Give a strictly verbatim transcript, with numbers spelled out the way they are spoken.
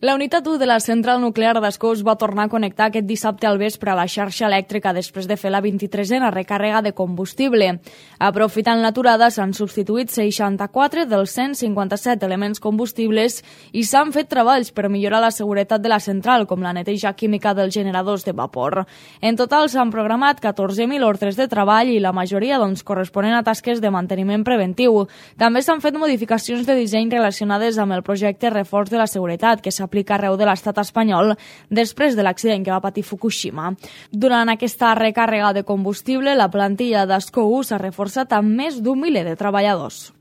La unitat u de la central nuclear d'Ascó es va tornar a connectar aquest dissabte al vespre a la xarxa elèctrica després de fer la vint-i-tresena recàrrega de combustible. Aprofitant l'aturada, s'han substituït seixanta-quatre dels cent cinquanta-set elements combustibles i s'han fet treballs per millorar la seguretat de la central, com la neteja química dels generadors de vapor. En total s'han programat catorze mil ordres de treball i la majoria doncs, corresponen a tasques de manteniment preventiu. També s'han fet modificacions de disseny relacionades amb el projecte Reforç de la Seguretat, que s'ha aplica arreu de l'estat espanyol després de l'accident que va patir Fukushima. Durant aquesta recàrrega de combustible, la plantilla d'Ascó u s'ha reforçat amb més d'un miler de treballadors.